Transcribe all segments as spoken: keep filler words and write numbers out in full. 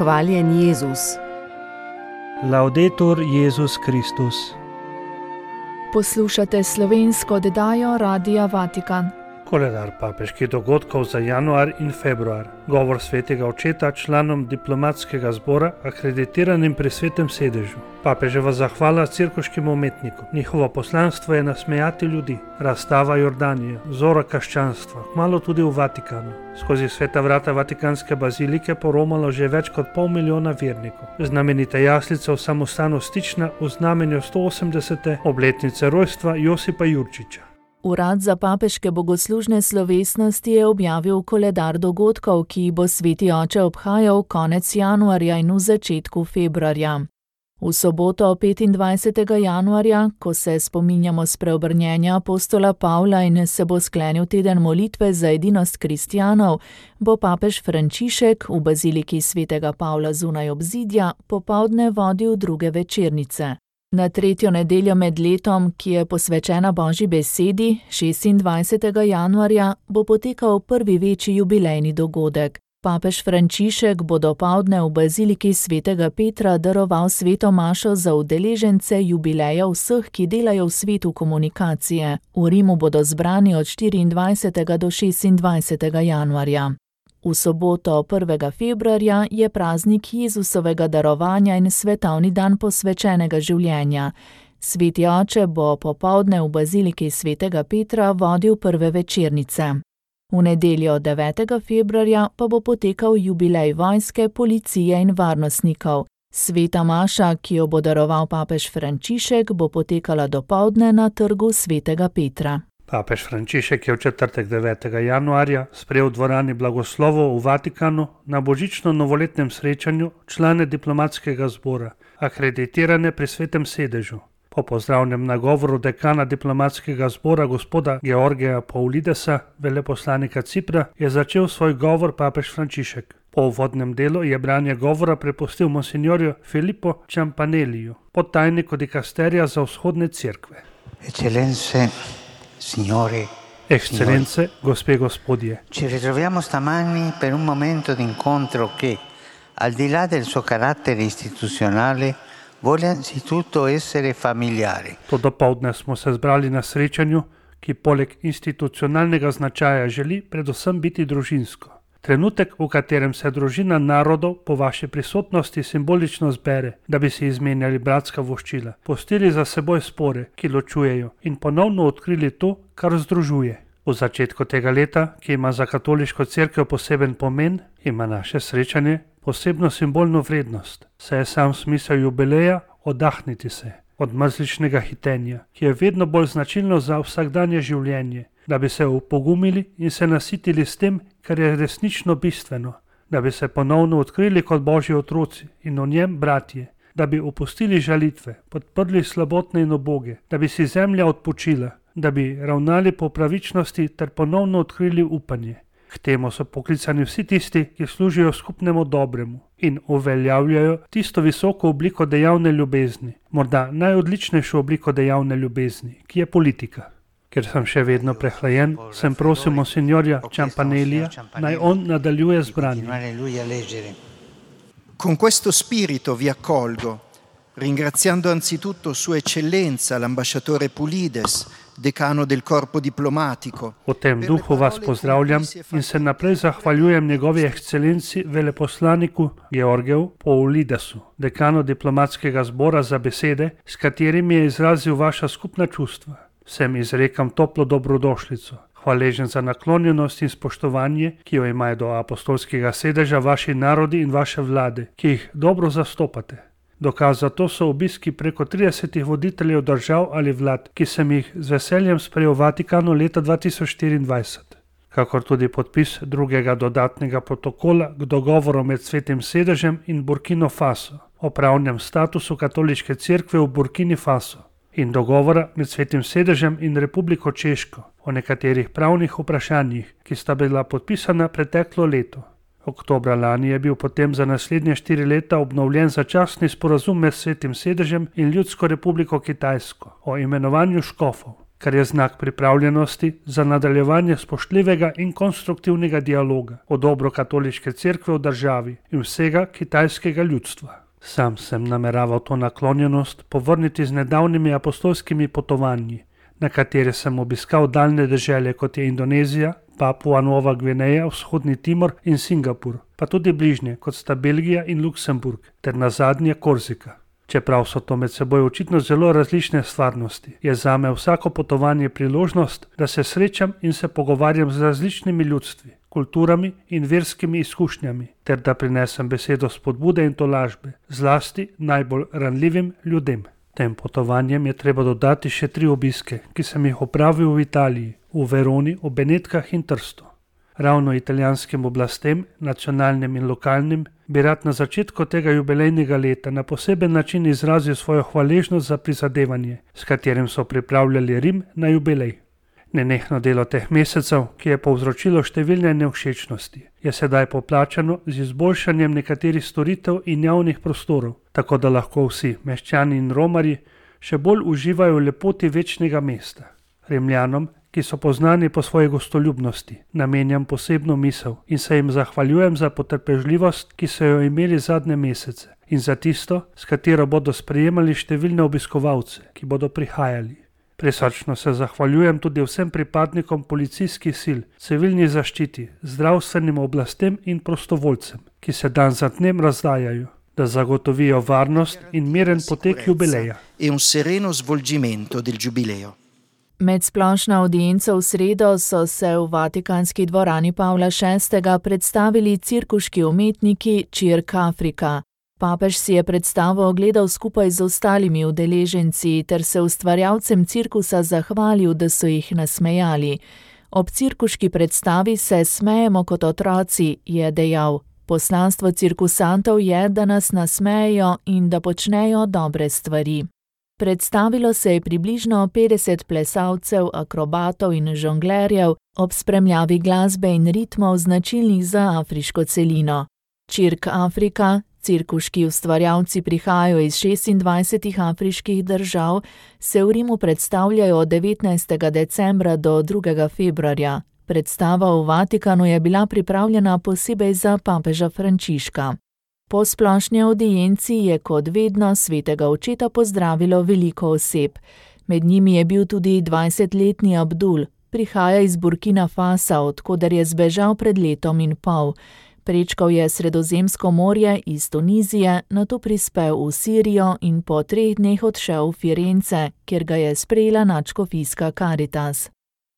Hvaljen Jezus. Laudetur Jezus Kristus. Poslušate slovensko oddajo Radia Vatikan. Koledar papeških dogodkov za januar in februar. Govor svetega očeta članom diplomatskega zbora, akreditiranim pri svetem sedežu. Papeževa zahvala cirkuškim umetnikom. Njihovo poslanstvo je nasmejati ljudi. Razstava Jordanije, zora krščanstva, kmalu tudi v Vatikanu. Skozi sveta vrata Vatikanske bazilike poromalo že več kot pol milijona vernikov. Znamenita jaslica v samostanu Stična v znamenju sto osemdesete obletnice rojstva Josipa Jurčiča. Urad za papeške bogoslužne slovesnosti je objavil koledar dogodkov, ki jih bo sveti oče obhajal konec januarja in v začetku februarja. V soboto petindvajsetega januarja, ko se spominjamo spreobrnjenja apostola Pavla in se bo sklenil teden molitve za edinost kristjanov, bo papež Frančišek v baziliki svetega Pavla zunaj obzidja popoldne vodil druge večernice. Na tretjo nedeljo med letom, ki je posvečena Božji besedi, šestindvajsetega januarja, bo potekal prvi večji jubilejni dogodek. Papež Frančišek bo dopoldne v baziliki svetega Petra daroval sveto mašo za udeležence jubileja vseh, ki delajo v svetu komunikacije. V Rimu bodo zbrani od štiriindvajsetega do šestindvajsetega januarja. V soboto prvega februarja je praznik Jezusovega darovanja in svetovni dan posvečenega življenja. Sveti oče bo popoldne v baziliki svetega Petra vodil prve večernice. V nedeljo devetega februarja pa bo potekal jubilej vojske, policije in varnostnikov. Sveta maša, ki jo bo daroval papež Frančišek, bo potekala dopoldne na trgu svetega Petra. Papež Frančišek je v četrtek devetega januarja sprejel v dvorani blagoslovov v Vatikanu na božično-novoletnem srečanju člane diplomatskega zbora, akreditirane pri svetem sedežu. Po pozdravnem nagovoru dekana diplomatskega zbora gospoda Georgija Paulidesa, veleposlanika Cipra, je začel svoj govor papež Frančišek. Po uvodnem delu je branje govora prepustil monsignorju Filippo Ciampanelliju, podtajniku dikasterija za vzhodne cerkve. Eccellenze, signori, Eccellenze, gospe gospodje. Ci ritroviamo stamani per un momento d'incontro che, al di là del suo carattere istituzionale, vuole anzitutto essere familiare. To dopoldne smo se zbrali na srečanju, ki poleg institucionalnega značaja želi predvsem biti družinsko. Trenutek, v katerem se družina narodov po vaši prisotnosti simbolično zbere, da bi si izmenjali bratska voščila, pustili za seboj spore, ki ločujejo, in ponovno odkrili to, kar združuje. V začetku tega leta, ki ima za katoliško cerkev poseben pomen, ima naše srečanje posebno simbolno vrednost, saj je sam smisel jubileja oddahniti se od mrzličnega hitenja, ki je vedno bolj značilno za vsakdanje življenje, da bi se upogumili in se nasitili s tem, kar je resnično bistveno, da bi se ponovno odkrili kot Božji otroci in o njem bratje, da bi opustili žalitve, podprli slabotne in uboge, da bi si zemlja odpočila, da bi ravnali po pravičnosti ter ponovno odkrili upanje. K temu so poklicani vsi tisti, ki služijo skupnemu dobremu in uveljavljajo tisto visoko obliko dejavne ljubezni, morda najodličnejšo obliko dejavne ljubezni, ki je politika. Ker sem še vedno prehlajen, sem prosil monsignorja Ciampanellija, naj on nadaljuje z branjem. Con questo spirito vi accolgo, ringraziando anzitutto Sua Eccellenza l'ambasciatore Pulides, decano del corpo diplomatico. V tem duhu vas pozdravljam in se naprej zahvaljujem njegovi ekscelenci veleposlaniku Georgiju Paulidesu, dekanu diplomatskega zbora, za besede, s katerimi je izrazil vaša skupna čustva. Vsem izrekam toplo dobrodošlico, hvaležen za naklonjenost in spoštovanje, ki jo imajo do apostolskega sedeža vaši narodi in vaše vlade, ki jih dobro zastopate. Dokaz za to so obiski preko tridesetih voditeljev držav ali vlad, ki sem jih z veseljem sprejel v Vatikanu leta dva tisoč štiriindvajset. Kakor tudi podpis drugega dodatnega protokola k dogovoru med svetim sedežem in Burkino Faso o pravnem statusu katoliške cerkve v Burkini Faso in dogovora med svetim sedežem in Republiko Češko o nekaterih pravnih vprašanjih, ki sta bila podpisana preteklo leto. Oktobra lani je bil potem za naslednje štiri leta obnovljen začasni sporazum med svetim sedežem in Ljudsko republiko Kitajsko o imenovanju škofov. kar je znak pripravljenosti za nadaljevanje spoštljivega in konstruktivnega dialoga o dobro katoliške cerkve v državi in vsega kitajskega ljudstva. Sam sem nameraval to naklonjenost povrniti z nedavnimi apostolskimi potovanji, na katere sem obiskal daljne dežele, kot je Indonezija, Papua Nova Gvineja, Vzhodni Timor in Singapur, pa tudi bližnje, kot sta Belgija in Luksemburg, ter nazadnje Korzika. Čeprav so to med seboj očitno zelo različne stvarnosti, je zame vsako potovanje priložnost, da se srečam in se pogovarjam z različnimi ljudstvi, kulturami in verskimi izkušnjami, ter da prinesem besedo spodbude in tolažbe, zlasti najbolj ranljivim ljudem. Tem potovanjem je treba dodati še tri obiske, ki sem jih opravil v Italiji, v Veroni, v Benetkah in Trstu. Ravno italijanskim oblastem, nacionalnim in lokalnim, bi rad na začetku tega jubilejnega leta na poseben način izrazil svojo hvaležnost za prizadevanje, s katerim so pripravljali Rim na jubilej. Nenehno delo teh mesecev, ki je povzročilo številne nevšečnosti, je sedaj poplačano z izboljšanjem nekaterih storitev in javnih prostorov, tako da lahko vsi, meščani in romarji, še bolj uživajo v lepoti večnega mesta. Rimljanom, ki so poznani po svoji gostoljubnosti, namenjam posebno misel in se jim zahvaljujem za potrpežljivost, ki so jo imeli zadnje mesece, in za tisto, s katero bodo sprejemali številne obiskovalce, ki bodo prihajali. Prisrčno se zahvaljujem tudi vsem pripadnikom policijskih sil, civilni zaščiti, zdravstvenim oblastem in prostovoljcem, ki se dan za dnem razdajajo, da zagotovijo varnost in miren potek jubileja. Med splošno avdienco v sredo so se v Vatikanski dvorani Pavla šestega predstavili cirkuški umetniki Cirque Africa. Papež si je predstavo ogledal skupaj z ostalimi udeleženci ter se ustvarjalcem cirkusa zahvalil, da so jih nasmejali. Ob cirkuški predstavi se smejemo kot otroci, je dejal. Poslanstvo cirkusantov je, da nas nasmejejo in da počnejo dobre stvari. Predstavilo se je približno petdeset plesalcev, akrobatov in žonglerjev ob spremljavi glasbe in ritmov značilnih za afriško celino. Cirque Africa, cirkuški ustvarjalci prihajajo iz šestindvajsetih afriških držav, se v Rimu predstavljajo od devetnajstega decembra do drugega februarja. Predstava v Vatikanu je bila pripravljena posebej za papeža Frančiška. Po splošni avdienci je kot vedno svetega očeta pozdravilo veliko oseb. Med njimi je bil tudi dvajsetletni Abdul, prihaja iz Burkina Fasa, od koder je zbežal pred letom in pol. Prečkal je Sredozemsko morje iz Tunizije, nato prispel v Sirijo in po treh dneh odšel v Firence, kjer ga je sprejela nadškofijska Caritas.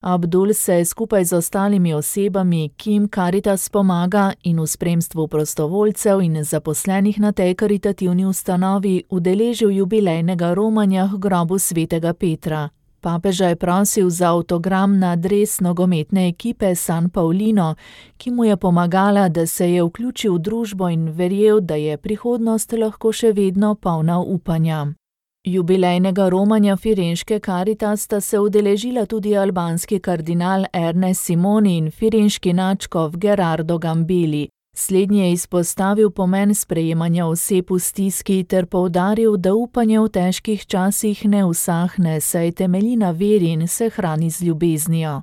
Abdul se je skupaj z ostalimi osebami, ki jim Caritas pomaga, in v spremstvu prostovoljcev in zaposlenih na tej karitativni ustanovi udeležil jubilejnega romanja k grobu svetega Petra. Papeža je prosil za avtogram na dres nogometne ekipe San Paulino, ki mu je pomagala, da se je vključil v družbo in verjel, da je prihodnost lahko še vedno polna upanja. Jubilejnega romanja firenške Caritas sta se udeležila tudi albanski kardinal Ernest Simoni in firenški nadškof Gerardo Gambeli. Slednji je izpostavil pomen sprejemanja oseb v stiski ter poudaril, da upanje v težkih časih ne usahne, saj temelji na veri in se hrani z ljubeznijo.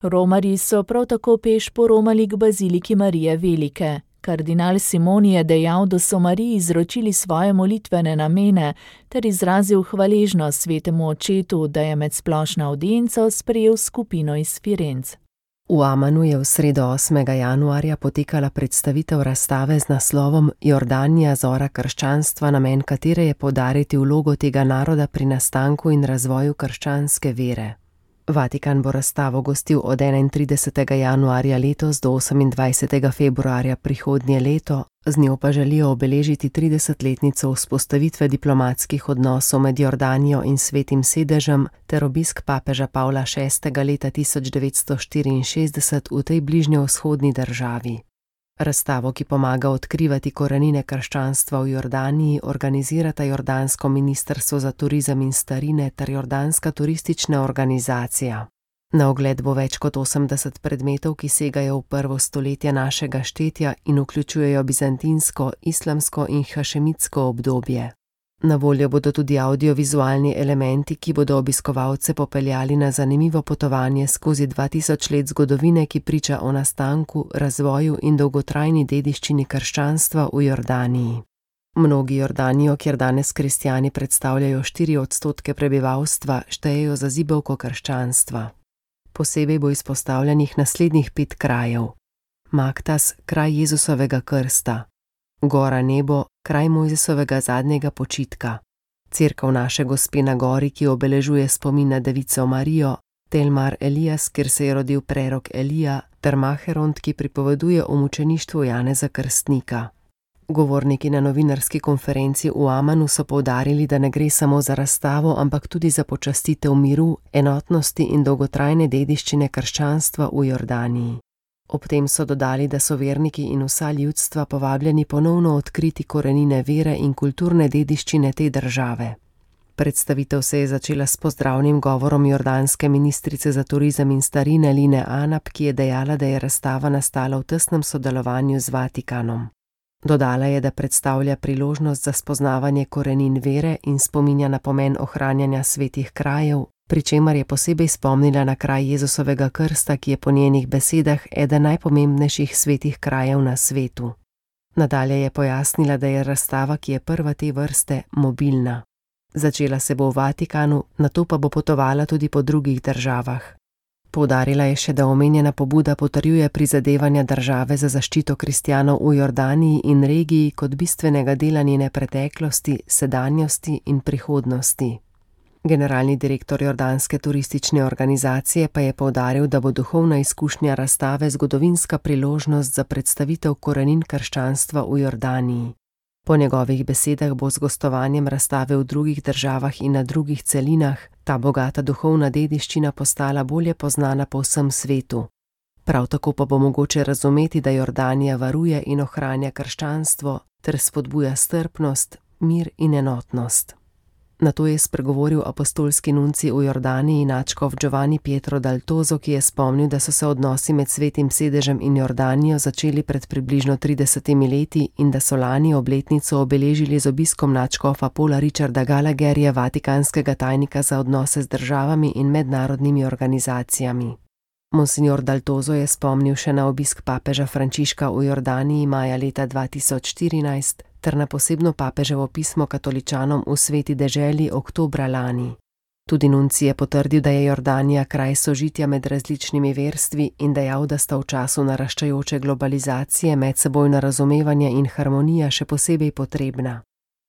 Romarji so prav tako peš poromali k baziliki Marije Velike. Kardinal Simoni je dejal, da so Mariji izročili svoje molitvene namene ter izrazil hvaležnost svetemu očetu, da je med splošno avdienco sprejel skupino iz Firenc. V Amanu je v sredo osmega januarja potekala predstavitev razstave z naslovom Jordanija, zora krščanstva, namen katere je poudariti vlogo tega naroda pri nastanku in razvoju krščanske vere. Vatikan bo razstavo gostil od enaintridesetega januarja letos do osemindvajsetega februarja prihodnje leto, z njo pa želijo obeležiti tridesetletnico vzpostavitve diplomatskih odnosov med Jordanijo in Svetim sedežem ter obisk papeža Pavla šestega leta tisoč devetsto štiriinšestdeset v tej bližnjevzhodni državi. Razstavo, ki pomaga odkrivati korenine krščanstva v Jordaniji, organizirata Jordansko ministrstvo za turizem in starine ter Jordanska turistična organizacija. Na ogled bo več kot osemdeset predmetov, ki segajo v prvo stoletje našega štetja in vključujejo bizantinsko, islamsko in hašemitsko obdobje. Na voljo bodo tudi audiovizualni elementi, ki bodo obiskovalce popeljali na zanimivo potovanje skozi dva tisoč let zgodovine, ki priča o nastanku, razvoju in dolgotrajni dediščini krščanstva v Jordaniji. Mnogi Jordanijo, kjer danes kristjani predstavljajo štiri odstotke prebivalstva, štejejo za zibelko krščanstva. Posebej bo izpostavljenih naslednjih pet krajev. Maktas, kraj Jezusovega krsta. Gora Nebo, kraj Mojzesovega zadnjega počitka. Cerkev Naše Gospe na gori, ki obeležuje spomin na devico Marijo, Tel Mar Elijas, kjer se je rodil prerok Elija, ter Maheront, ki pripoveduje o mučeništvu Janeza Krstnika. Govorniki na novinarski konferenci v Amanu so poudarili, da ne gre samo za razstavo, ampak tudi za počastitev miru, enotnosti in dolgotrajne dediščine krščanstva v Jordaniji. Ob tem so dodali, da so verniki in vsa ljudstva povabljeni ponovno odkriti korenine vere in kulturne dediščine te države. Predstavitev se je začela s pozdravnim govorom jordanske ministrice za turizem in starine Line Anap, ki je dejala, da je razstava nastala v tesnem sodelovanju z Vatikanom. Dodala je, da predstavlja priložnost za spoznavanje korenin vere in spominja na pomen ohranjanja svetih krajev, pri čemer je posebej spomnila na kraj Jezusovega krsta, ki je po njenih besedah eden najpomembnejših svetih krajev na svetu. Nadalje je pojasnila, da je razstava, ki je prva te vrste, mobilna. Začela se bo v Vatikanu, nato pa bo potovala tudi po drugih državah. Poudarila je še, da omenjena pobuda potrjuje prizadevanja države za zaščito kristjanov v Jordaniji in regiji kot bistvenega dela njene preteklosti, sedanjosti in prihodnosti. Generalni direktor jordanske turistične organizacije pa je poudaril, da bo duhovna izkušnja razstave zgodovinska priložnost za predstavitev korenin krščanstva v Jordaniji. Po njegovih besedah bo z gostovanjem razstave v drugih državah in na drugih celinah ta bogata duhovna dediščina postala bolje poznana po vsem svetu. Prav tako pa bo mogoče razumeti, da Jordanija varuje in ohranja krščanstvo ter spodbuja strpnost, mir in enotnost. Nato je spregovoril apostolski nuncij v Jordaniji nadškof Giovanni Pietro Dal Tozo, ki je spomnil, da so se odnosi med Svetim sedežem in Jordanijo začeli pred približno tridesetimi leti in da so lani obletnico obeležili z obiskom nadškofa Paula Richarda Gallagherja, vatikanskega tajnika za odnose z državami in mednarodnimi organizacijami. Monsignor Dal Tozo je spomnil še na obisk papeža Frančiška v Jordaniji maja leta dva tisoč štirinajst ter na posebno papeževo pismo katoličanom v Sveti deželi oktobra lani. Tudi nuncij je potrdil, da je Jordanija kraj sožitja med različnimi verstvi in dejal, da sta v času naraščajoče globalizacije medsebojno razumevanje in harmonija še posebej potrebna.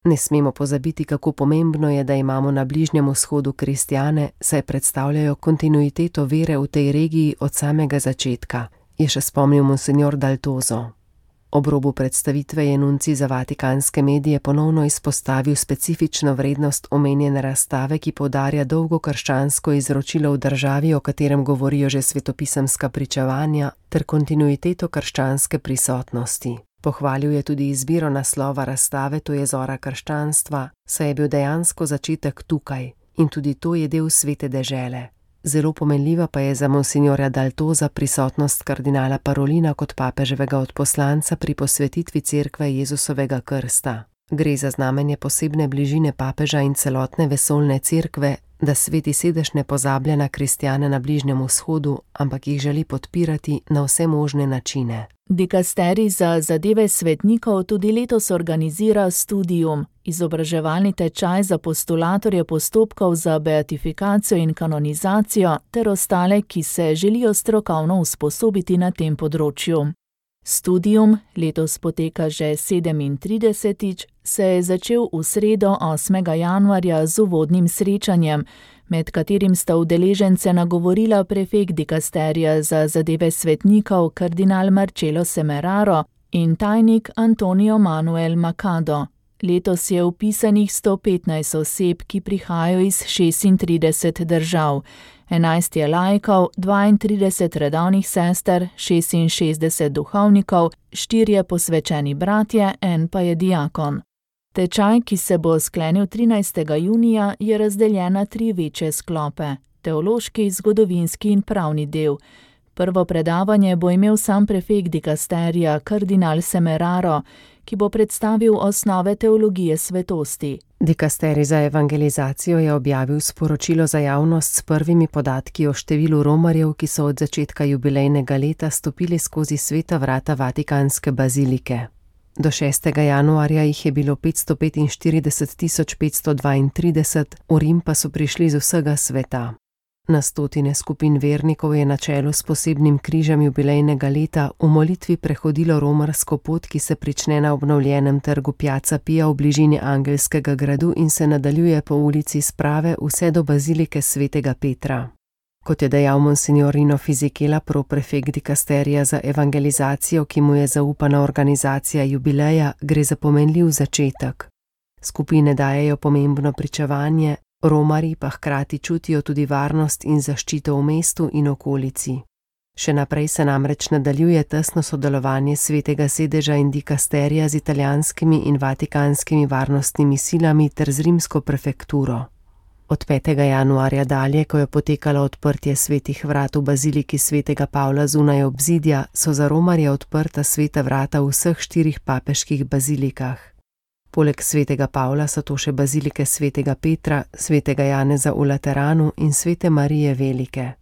Ne smemo pozabiti, kako pomembno je, da imamo na Bližnjem vzhodu kristjane, saj predstavljajo kontinuiteto vere v tej regiji od samega začetka, je še spomnil monsignor Dal Tozo. Ob robu predstavitve je nuncij za vatikanske medije ponovno izpostavil specifično vrednost omenjene razstave, ki poudarja dolgo krščansko izročilo v državi, o katerem govorijo že svetopisemska pričevanja, ter kontinuiteto krščanske prisotnosti. Pohvalil je tudi izbiro naslova razstave, to je Zora krščanstva, saj je bil dejansko začetek tukaj in tudi to je del Svete dežele. Zelo pomenljiva pa je za monsignorja Dal Toza prisotnost kardinala Parolina kot papeževega odposlanca pri posvetitvi cerkve Jezusovega krsta. Gre za znamenje posebne bližine papeža in celotne vesoljne cerkve, da Sveti sedež ne pozablja na kristjane na Bližnjem vzhodu, ampak jih želi podpirati na vse možne načine. Dikasterij za zadeve svetnikov tudi letos organizira Studium, izobraževalni tečaj za postulatorje postopkov za beatifikacijo in kanonizacijo ter ostale, ki se želijo strokovno usposobiti na tem področju. Studium, letos poteka že sedemintridesetič, se je začel v sredo osmega januarja z uvodnim srečanjem, med katerim sta udeležence nagovorila prefekt dikasterija za zadeve svetnikov kardinal Marcello Semeraro in tajnik Antonio Manuel Macado. Letos je vpisanih sto petnajst oseb, ki prihajajo iz šestintrideset držav. enajst je laikov, dvaintrideset redovnih sester, šestinšestdeset duhovnikov, štirje posvečeni bratje, en pa je diakon. Tečaj, ki se bo sklenil trinajstega junija, je razdeljen na tri večje sklope: teološki, zgodovinski in pravni del. Prvo predavanje bo imel sam prefekt dikasterija, kardinal Semeraro, ki bo predstavil osnove teologije svetosti. Dikasterij za evangelizacijo je objavil sporočilo za javnost s prvimi podatki o številu romarjev, ki so od začetka jubilejnega leta stopili skozi sveta vrata Vatikanske bazilike. Do šestega januarja jih je bilo petsto petinštirideset tisoč petsto dvaintrideset, v Rim pa so prišli z vsega sveta. Na stotine skupin vernikov je na čelu s posebnim križem jubilejnega leta v molitvi prehodilo romarsko pot, ki se prične na obnovljenem trgu Piazza Pia v bližini Angelskega gradu in se nadaljuje po ulici Sprave vse do bazilike svetega Petra. Kot je dejal monsignor Rino Fisichella, proprefekt dikasterija za evangelizacijo, ki mu je zaupana organizacija jubileja, gre za pomenljiv začetek. Skupine dajejo pomembno pričevanje, romarji pa hkrati čutijo tudi varnost in zaščito v mestu in okolici. Še naprej se namreč nadaljuje tesno sodelovanje svetega sedeža in dikasterija z italijanskimi in vatikanskimi varnostnimi silami ter z rimsko prefekturo. Od petega januarja dalje, ko je potekalo odprtje svetih vrat v baziliki svetega Pavla zunaj obzidja, so za romarje odprta sveta vrata v vseh štirih papeških bazilikah. Poleg svetega Pavla so to še bazilike svetega Petra, svetega Janeza v Lateranu in svete Marije Velike.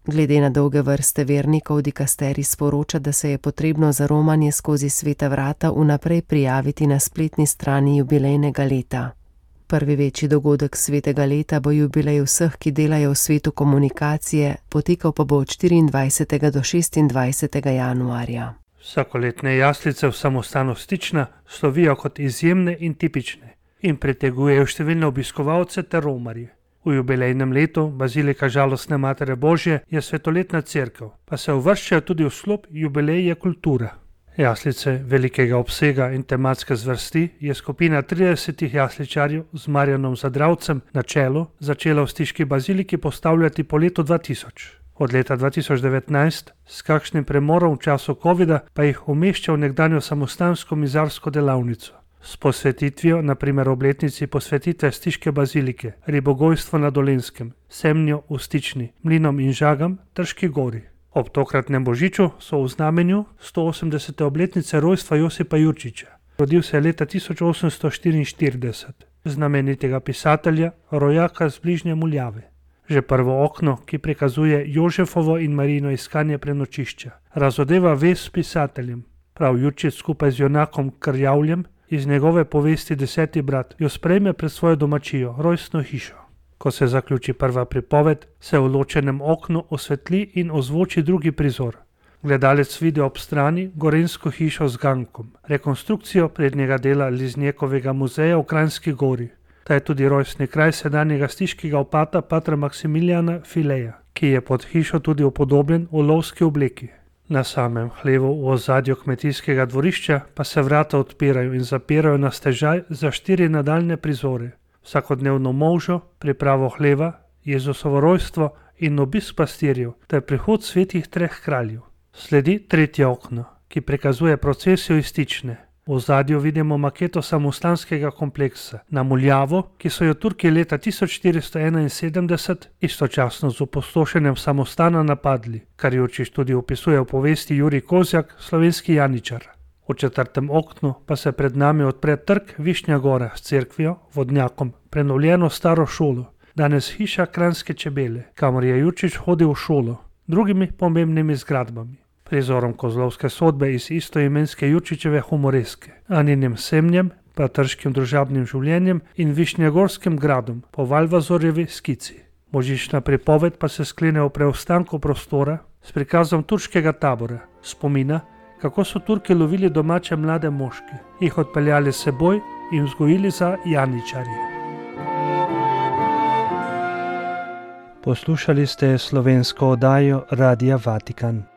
Glede na dolge vrste vernikov dikasterij sporoča, da se je potrebno za romanje skozi sveta vrata vnaprej prijaviti na spletni strani jubilejnega leta. Prvi večji dogodek svetega leta bo jubilej vseh, ki delajo v svetu komunikacije, potekal pa bo od štiriindvajsetega do šestindvajsetega januarja. Vsakoletne jaslice v samostanu Stična slovijo kot izjemne in tipične in pritegujejo številne obiskovalce ter romarje. V jubilejnem letu bazilika Žalostne Matere Božje je svetoletna cerkev, pa se uvrščajo tudi v sklop jubileje kultura. Jaslice velikega obsega in tematske zvrsti je skupina tridesetih jasličarjev z Marjanom Zadravcem na čelu začela v stiški baziliki postavljati po letu dva tisoč. Od leta dva tisoč devetnajst, s kakšnim premorom v času covida, pa jih umešča v nekdanjo samostansko mizarsko delavnico. S posvetitvijo, na primer obletnici posvetitve stiške bazilike, Ribogojstvo na Dolenjskem, Semnjo v Stični, Mlinom in Žagam, Trški gori. Ob tokratnem božiču so v znamenju stoosemdesete obletnice rojstva Josipa Jurčiča. Rodil se je leta tisoč osemsto štiriinštirideset, znamenitega pisatelja, rojaka z bližnje Muljave. Že prvo okno, ki prikazuje Jožefovo in Marijino iskanje prenočišča, razodeva vez s pisateljem. Prav Jurčič skupaj z junakom Krjavljem iz njegove povesti Deseti brat jo sprejme pred svojo domačijo, rojstno hišo. Ko se zaključi prva pripoved, se v ločenem oknu osvetli in ozvoči drugi prizor. Gledalec vidi ob strani gorenjsko hišo z gankom, rekonstrukcijo prednjega dela Liznjekovega muzeja v Kranjski gori. Ta je tudi rojstni kraj sedanjega stiškega opata patra Maksimilijana Fileja, ki je pod hišo tudi upodobljen v lovski obleki. Na samem hlevu v ozadju kmetijskega dvorišča pa se vrata odpirajo in zapirajo na stežaj za štiri nadaljne prizore. Vsakodnevno molžo, pripravo hleva, Jezusovo rojstvo in obisk pastirjev ter prihod svetih treh kraljev. Sledi tretje okno, ki prikazuje procesijo iz Stične. V ozadju vidimo maketo samostanskega kompleksa na Muljavo, ki so jo Turki leta tisoč štiristo enainsedemdeset istočasno z opustošenjem samostana napadli, kar Jurčič tudi opisuje v povesti Jurij Kozjak, slovenski janičar. V četrtem oknu pa se pred nami odpre trg Višnja Gora s cerkvijo, vodnjakom, prenovljeno staro šolo, danes hiša Kranjske čebele, kamor je Jurčič hodil v šolo, drugimi pomembnimi zgradbami. Prizorom kozlovske sodbe iz istoimenske Jurčičeve humoreske, Aninim Semnjem, pa trškim družabnim življenjem in Višnjegorskim gradom po Valvazorjevi skici. Božična pripoved pa se sklene v preostanku prostora s prikazom turškega tabora, spomina, kako so Turki lovili domače mlade moške, jih odpeljali s seboj in vzgojili za janičarje. Poslušali ste slovensko oddajo Radia Vatikan.